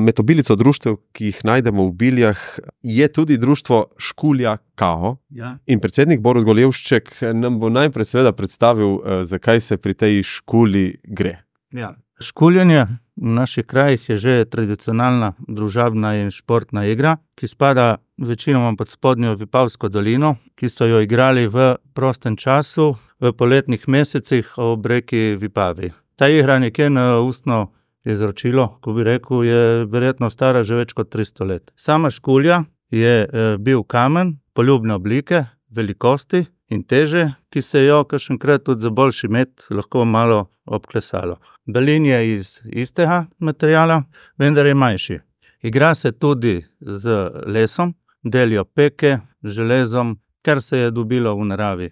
Med obilico društev, ki jih najdemo v Biljah, je tudi društvo Škulja Kao. Ja. In predsednik Borut Golevšček nam bo najprej seveda predstavil, zakaj se pri tej škuli gre. Ja. Škuljanje v naših krajih je že tradicionalna družabna in športna igra, ki spada večinoma pod spodnjo Vipavsko dolino, ki so jo igrali v prostem času, v poletnih mesecih ob reki Vipavi. Ta igra nekje na ustno izročilo, ko bi rekel, je verjetno stara že več kot 300 let. Sama škulja je bil kamen poljubne oblike, velikosti in teže, ki se jo kakšenkrat tudi za boljši met lahko malo obklesalo. Balin je iz istega materiala, vendar je manjši. Igra se tudi z lesom, delijo peke, železom, kar se je dobilo v naravi.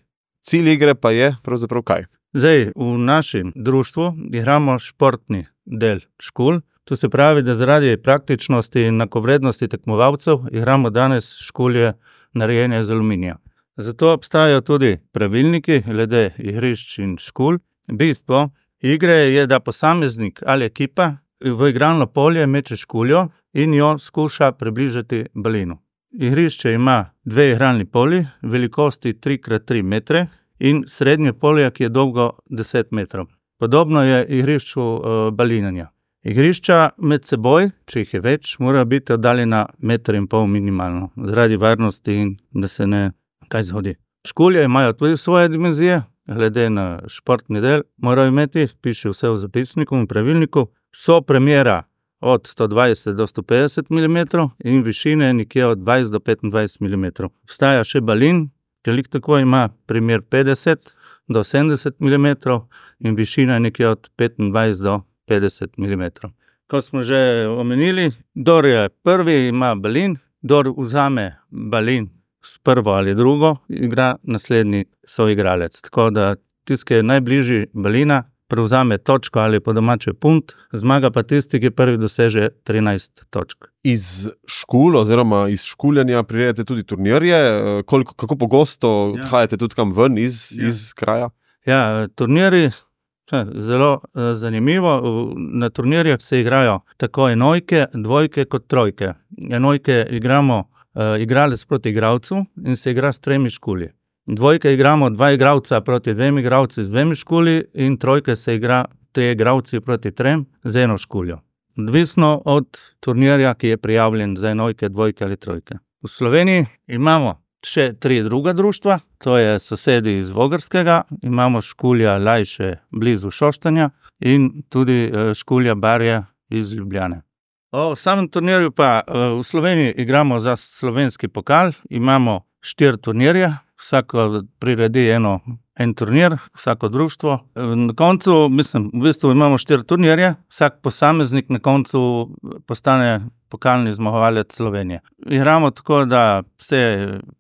Cilj igre pa je pravzaprav kaj? Zdaj, v našem društvu igramo športni del škul. To se pravi, da zaradi praktičnosti in enakovrednosti tekmovalcev igramo danes škulje narejene iz aluminija. Zato obstajajo tudi pravilniki glede igrišč in škul. Bistvo igre je, da posameznik ali ekipa v igralno polje meče škuljo in jo skuša približati balinu. Igrišče ima 2 igralni polji, velikosti 3x3 metre in srednje polje, ki je dolgo 10 metrov. Podobno je igrišču balinanja. Igrišča med seboj, če jih je več, mora biti oddaljena 1,5 metra minimalno, zaradi varnosti in da se ne kaj zgodi. Škulje imajo tudi svoje dimenzije, glede na športni del, morajo imeti, piše vse v zapisniku in pravilniku, so premjera od 120 do 150 mm in višine nekje od 20 do 25 mm. Vstaja še balin, ki tako ima primer 50 do 70 mm in višina nekje od 25 do 50 mm. Ko smo že omenili, kdor je prvi, ima balin, kdor vzame balin s prvo ali drugo, igra naslednji soigralec. Tako da tisti, ki je najbližji balina, prevzame točko ali po domače punt, zmaga pa tisti, ki prvi doseže 13 točk. Iz škul oziroma iz škuljanja prirejate tudi turnirje. Kako pogosto odhajate tudi kam ven iz kraja? Ja, turnirji, zelo zanimivo. Na turnirjah se igrajo tako enojke, dvojke kot trojke. Enojke igramo igralec proti igralcu in se igra s 3 škulji. Dvojke igramo 2 igralca proti 2 igralci z 2 škulji in trojke se igra 3 igralci proti 3 z 1 škuljo. Odvisno od turnirja, ki je prijavljen za enojke, dvojke ali trojke. V Sloveniji imamo še 3 druga društva, to je sosedi iz Vogrskega, imamo škulja Lajše blizu Šoštanja in tudi škulja Barje iz Ljubljane. V samem turnirju pa v Sloveniji igramo za slovenski pokal, imamo 4 turnirje, vsako priredi en turnir, vsako društvo. Na koncu, v bistvu imamo 4 turnirje, vsak posameznik na koncu postane pokalni zmagovalec Slovenije. Igramo tako, da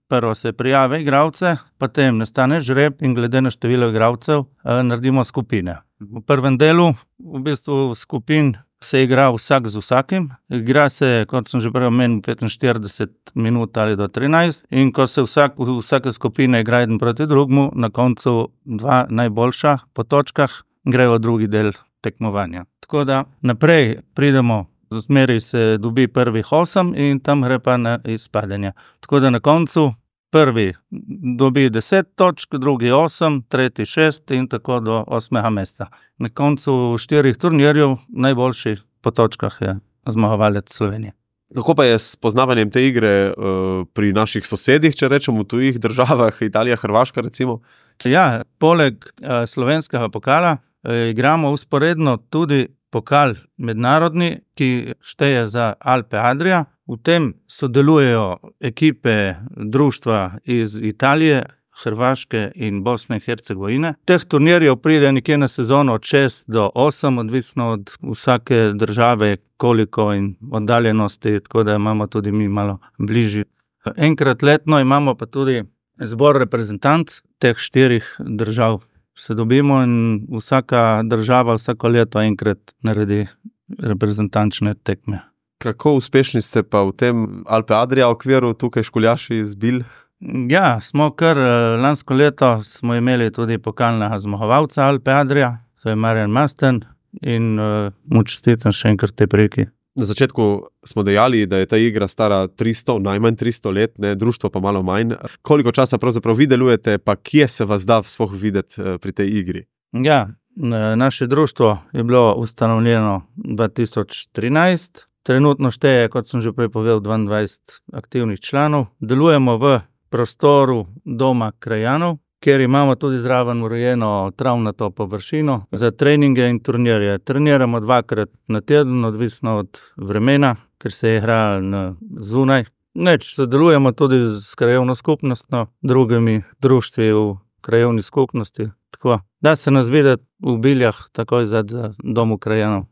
prvo se prijave igralce, potem nastane žreb in glede na število igralcev naredimo skupine. V prvem delu v bistvu skupin se igra vsak z vsakim. Igra se, kot sem že prej omenil, 45 minut ali do 13 in ko se vsake skupine igra eden proti drugemu, na koncu 2 najboljša po točkah grejo v drugi del tekmovanja. Tako da naprej pridemo, zmeri se dobi prvih 8 in tam gre pa na izpadanje. Tako da na koncu prvi dobi 10 točk, drugi 8, tretji 6 in tako do 8. mesta. Na koncu 4 turnirjev najboljši po točkah je zmagovalec Slovenije. Kako pa je s poznavanjem te igre pri naših sosedih, če rečemo v tujih državah, Italija, Hrvaška recimo? Ja, poleg slovenskega pokala igramo vzporedno tudi pokal mednarodni, ki šteje za Alpe Adria. V tem sodelujejo ekipe društva iz Italije, Hrvaške in Bosne in Hercegovine. Teh turnirjev pride nekje na sezono od 6 do 8, odvisno od vsake države, koliko in oddaljenosti, tako da imamo tudi mi malo bližji. Enkrat letno imamo pa tudi zbor reprezentanc teh 4 držav. Se dobimo in vsaka država vsako leto enkrat naredi reprezentančne tekme. Kako uspešni ste pa v tem Alpe Adria okviru tukaj škuljaši iz Bilj? Ja, smo kar lansko leto smo imeli tudi pokalnega zmagovalca Alpe Adria, to je Marjan Masten in mu čestitam še enkrat te priliki. Na začetku smo dejali, da je ta igra stara 300, najmanj 300 let, ne, društvo pa malo manj. Koliko časa pravzaprav vi delujete, pa kje se vas da sploh videti pri tej igri? Ja, naše društvo je bilo ustanovljeno 2013. Trenutno šteje, kot sem že prej povedal, 22 aktivnih članov. Delujemo v prostoru Doma krajanov, kjer imamo tudi zraven urejeno travnato površino za treninge in turnirje. Treniramo 2-krat na teden, odvisno od vremena, ker se igra zunaj. Sodelujemo tudi s krajevno skupnostjo, drugimi društvi v krajevni skupnosti. Tako, da se nas vidi v Biljah, takoj za Domu krajanov.